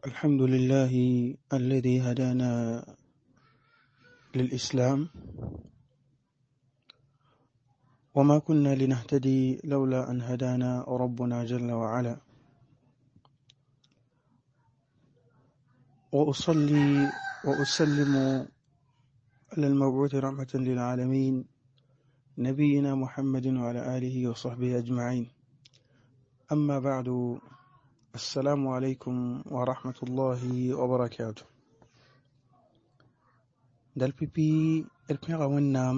الحمد لله الذي هدانا للإسلام وما كنا لنهتدي لولا أن هدانا ربنا جل وعلا. وأصلي وأسلم على المبعوث رحمة للعالمين نبينا محمد وعلى آله وصحبه أجمعين. أما بعد، السلام عليكم ورحمة الله وبركاته. Dal pipi d pẽga Wẽnnaam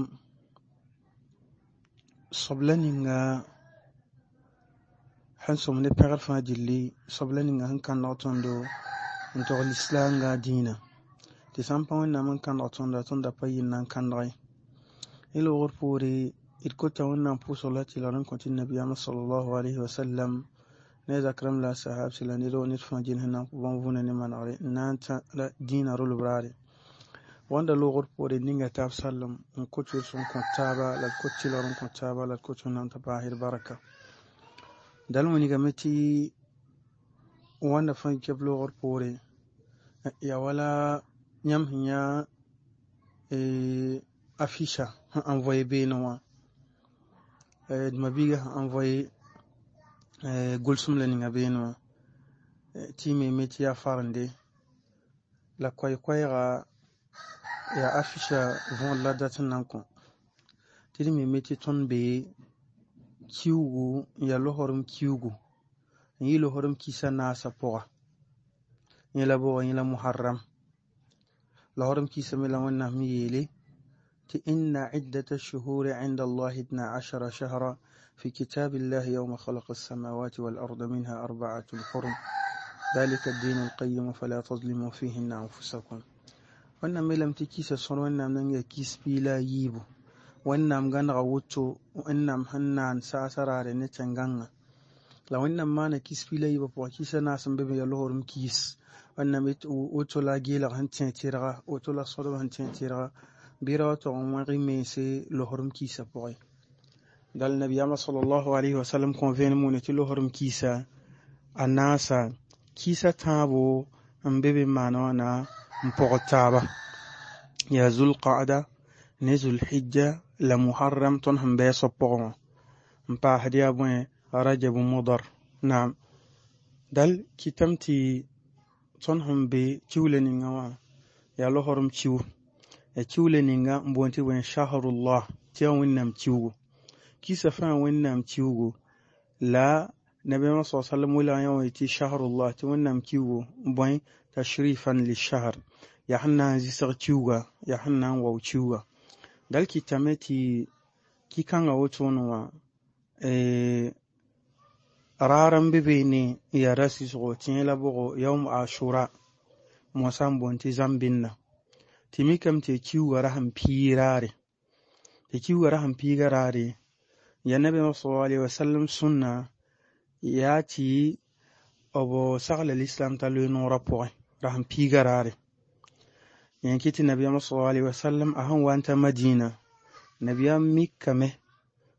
sobla ninga sẽn sõm ne pẽgr fãa gilli, sobla ninga sẽn kãndg tõndo n tog lislaanga dĩinã. Tɩ sã n pa Wẽnnaam n kãndg tõnda, tõnd da pa yɩ n na n kãndg ye. Ne loogr poore d kota Wẽnnaam pʋʋsg la tɩlgr n kõ tɩ nabiyaamã sallallahu alayhi wa sallam ne zak rãmb la a sahabsi la ned wa ned fãa gil sẽn na n kõ bõn-vũuna ne manegre n na n tã la dĩinã rolb raare. Wãnda loogr poore ninga taab sallem n kot yʋls n kõ taaba la d kot tɩlgr n kõ taaba la d kot Wẽnnaam t'a paas d barka. Dal wilgame tɩ wãnda fãa kɛb loogr poore yaa wala yãmb sẽn yã affiche sẽn envoyé beene wã, d mabiiga sẽn envoyé gʋlsem la ninga beene wã tɩ y me tɩ yaa farende la koɛɛ-koɛɛga yaa affiche võor la dat n na n kõ tɩ d me tɩ tõnd be kiugu n yaa losrem kiugu n yɩ losrem kisa naasã pʋga, yẽ la bʋga yẽ la Muharram. Losrem kisa me la Wẽnnaam sẽn yeele tɩ inna iddata shuhuri inda Allahi itna ashara shahra fi kitabillahi yawma khalaqa as-samawati wal arda minha arba'atun hurum dhalika ad-din al-qayyim fala tazlimu fihinna anfusakum. Wẽnnaam yeelame tɩ kisa sõr Wẽnnaam nan yaa kis piig la a yiibu. Wẽnnaam gãnega woto Wẽnnaam sẽn naan saasã raare ne tẽn-gãngã. La Wẽnnaam maana kis piig la yiibã pʋgã kisa naas n be be yaa losrem kiis. Wẽnnaam woto la a geelg sẽn tẽ tɩrga, woto la sõdb sẽn tẽ tɩrga bɩ ra wa tog n wẽg y mense losrem kiisã pʋgẽ. Dal nabiyaamã sallallahu alayhi wa sallam kõ vẽenem wʋne tɩ losrem kiisa a naasa kiisa tãabo n be be n maan wãna n pɔgd taaba yaa Zulqaada ne Zulhijja la Muharram tõnd sẽn bɩ a soab pʋgẽ wã n paasd yaa bõe Rajab Mudar. Naam, dal kɩtame tɩ tõnd sẽn be kiuula ninga wã yaa losrem kiu. Yaa kiuula ninga n boond tɩ bõe Shahrullah tɩ yaa Wẽnnaam kiugu. Kisa fãa Wẽnnaam kiugu la nabiyaamã sa sallam welg yã wã tɩ Shahrullah tɩ Wẽnnaam kiugu bõe tashrifan lishahr yaa sẽn na n zɩsg kiuga, yaa sẽn na n wao kiuga. Dal kɩtame tɩ ki-kãngã wotone wã raar n be beene n yaa ra-sɩsgo tɩ yẽ la bʋgo yaoom ashura moasã n boond tɩ zãmbɩnna. Tɩ mikame tɩ kiuga ra sẽn piig raare, tɩ kiuga ra sẽn piiga raare yaa nabiyaamã sallallahu alayhi wa sallam sũnna yaa tɩ b sagla lislam t'a loe noorã pʋgẽ ra sẽn piiga raare. Yẽ kɩ tɩ nabiyaamã sallallahu alayhi wa sallam a sẽn wa n ta Madina nabiyaam mikame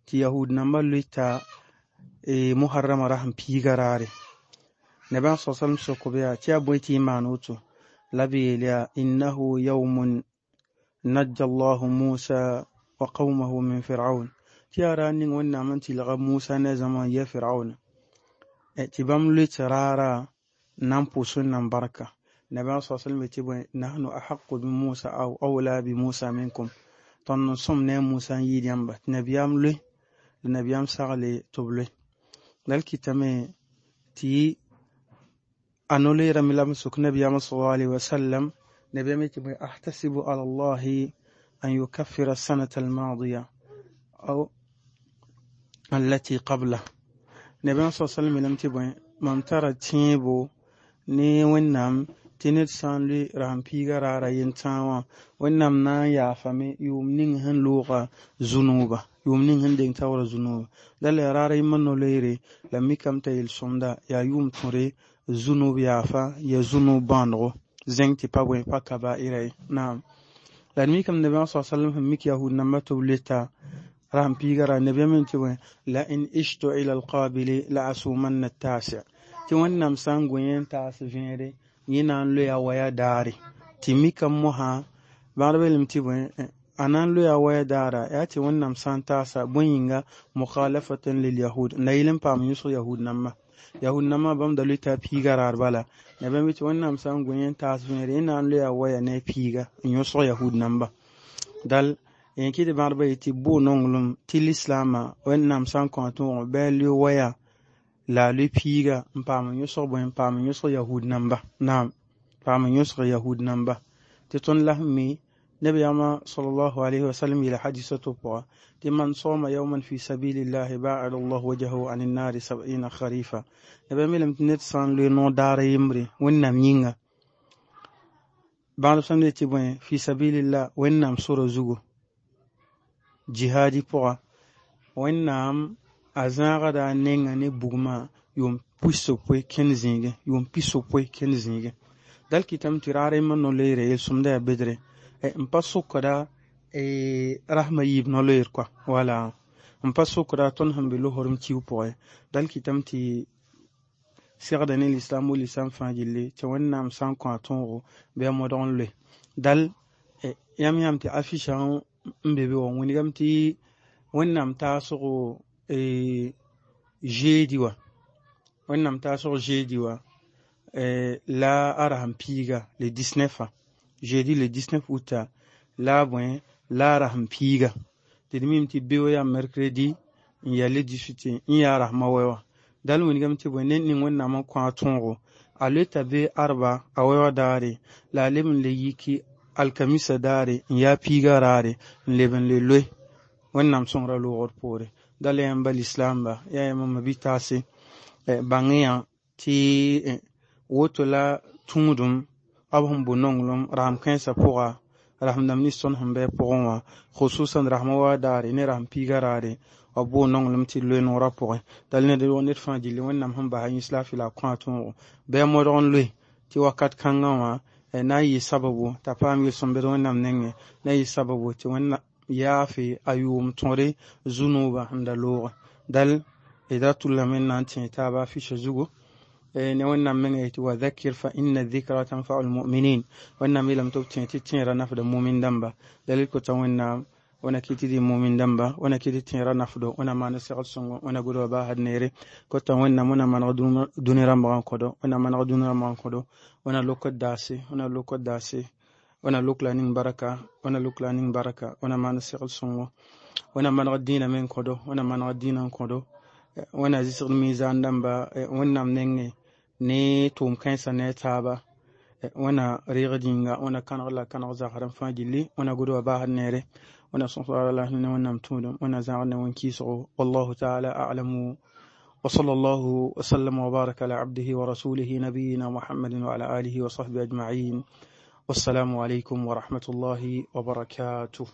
tɩ yahud nambã loeta Muharrama ra sẽn piiga raare. Nabiyaam sallallahu alayhi wa sallam sok-b yaa tɩ yaa bõe tɩ y maan woto la b yeel yaa innahu yawmun najja Allahu Musa wa qawmahu min Firaun tɩ yaa raar ning Wẽnnaam n tɩlga Musa ne a zãma n yɛ Firaun tɩ bãmb loet raara n na n pʋʋs Wẽnnaam barka. Nabiyaam sallallahu alayhi wa sallam yetɩ bõe nahnu ahaqu bi Musa aw awla bi Musa minkum tõnd n sõm ne a Musa n yɩɩd yãmba tɩ nabiyaam loe la nabiyaam sagle tɩ b loe. Dal kɩtame tɩ a no-loeerame la b sok nabiyaamã sallallahu alayhi wa sallam nabiyaam yetɩ bõe ahtasibu ala Allahi an yukaffira as-sanata al-madiya aw allati qabla. Nabiyaam sallallahu alayhi wa sallam yeelame tɩ bõe mam tara tẽebo ne Wẽnnaam tɩ ned sã n loe ra sẽn piiga raara yentãag wã Wẽnnaam na n yaafame yʋʋm ning sẽn looga zu-nooba, yʋʋm ning sẽn deng taoorã zu-nooba. Dal yaa raar yembr no-loeere la mikame t'a yel-sõmda yaa yʋʋm tõre zu-noob yaafa yaa zu-noob bãandgo zẽng tɩ pa bõe pa kabaɩra ye. Naam, la d mikame nabiyaamã sa sallam sẽn mik yahud nambã tɩ b loeta ra sẽn piiga raar nabiyaam yeel tɩ bõe la in ishtu ila alqabili la asumanna at-tasi' tɩ Wẽnnaam sã n gũ yẽ n taas vẽere Yẽ na n loe a waya daare tɩ mikame mosã bãgdbã yeelame tɩ bõe a na n loe a waya daara yaa tɩ Wẽnnaam sã n taasa bõe yĩnga mukhalafatan lil yahud n da yɩl n paam yõsg yahud namba yahud nambã bãmb da loeta a piiga raar bala nebã me tɩ Wẽnnaam sã n gũ yẽ n taas vẽere yẽ na n loe a waya ne a piiga n yõsg yahud namba dal yẽ kɩ tɩ bãgdbã yetɩ boo nonglem tɩ lislaamã Wẽnnaam sã n kõ a tõog bɩ a loe waya la a loe piiga n paam n yõsg bõe n paam n yõsg yahud namba naam paam n yõsg yahud namba tɩ tõnd la sẽn mi nabiyaamã sallallahu alayhi wa sallam yeela hadisa to pʋga tɩ man soma yawman fi sabilillahi ba'ada allahu wajhahu an النار 70 kharifa nabiyam yeelame tɩ ned sã n loe noor daar a yembre Wẽnnaam yĩnga bãgdb sãm tɩ bõe fi sabilillah Wẽnnaam sora zugu jihadi pʋga Wẽnnaam a zãagda a nenga ne bugmã yʋʋm pisopoe kẽnd zĩigẽ yʋʋm pisopoe kẽnd zĩigẽ dal kɩtame tɩ raar yembr no-loeere yel-sõmda yaa bedre n pa sokda rasma yiib no-loeer kɔa wala n pa sokda tõnd sẽn be losrem kiu pʋgẽ dal kɩtame tɩ segda ne lislaam wo lislaam fãa gilli tɩ Wẽnnaam sã n kõ a tõogo bɩ a modg n loe dal yãmb yãam tɩ affiche n be be wã wilgame tɩ Wẽnnaam taasgo jeudi wã Wẽnnaam taasg jeudi wã la a rasem piiga le 19 jeudi le 19 août la a bõe la a rasem piiga tɩ d mim tɩ beo yaa mercredi n yaa le 18 n yaa rasmã wɛ wã dal wilgame tɩ bõe ned ning Wẽnnaam n kõ a tõogo a loeta be arba a wɛ wã daare la a leb n le yiki alkamisa daare n yaa piiga raare n leb n le loe Wẽnnaam sõngra loogr poore dal yãmba lislaamba yaa yãmb ma bi-taase bãng yã tɩ woto la tũudum b sẽn bo nonglem rasem kãensã pʋga rasem dãmb nins tõnd sẽn bɩ pʋgẽ wã khususan rasmã wa daare ne rasem piiga raare b boo nonglem tɩ loe noorã pʋgẽ dal ned fãa gilli Wẽnnaam sẽn basa yĩns laafɩ la a kõ a tõogo bɩ a modg n loe tɩ wakat kãngã wã na n yɩ sababu t'a paam yel-sõmbd Wẽnnaam nengẽ na n yɩ sababu tɩ Wẽnnaam yaafe a yʋʋm tõre zu-noobã sẽn da looge dal d ra tʋllame n na n tẽ taaba affiche zugu ne Wẽnnaam menga yetɩ wa dhakkir fa inna dhikra tanfau lmuminin Wẽnnaam yeelame tɩ b tẽ tɩ tẽera nafda mumin dãmba dalil kota Wẽnnaam wẽna kɩ tɩ dɩ mumin dãmba wẽna kɩ tɩ tẽera nafdo wẽna maan segl sõngo wẽna gʋdba baasd neere kota Wẽnnaam wẽna maneg dũni rãmbgã n kõdo wẽna maneg dũni rãmbgã n kõdo wẽna lokd daase wẽna lokd daase wẽna lok la ning baraka wẽna lok la ning baraka wẽna maan segl sõngo wẽna maneg dĩinã me n kõdo wẽna maneg dĩinã n kõdo wẽna zɩsgd mizan dãmba Wẽnnaam nengẽ ne tʋʋm kãensã ne a taaba wẽna reegd yĩnga wẽna kãneg la kãneg zagsrem fãa gilli wẽna gʋdba baasd neere wẽna sõsg la ne Wẽnnaam tũudum wẽna zãgd ne wẽn-kɩɩsgo wallahu taala a'lamu وصلى الله وسلم وبارك على عبده ورسوله نبينا محمد وعلى آله وصحبه أجمعين والسلام عليكم ورحمة الله وبركاته.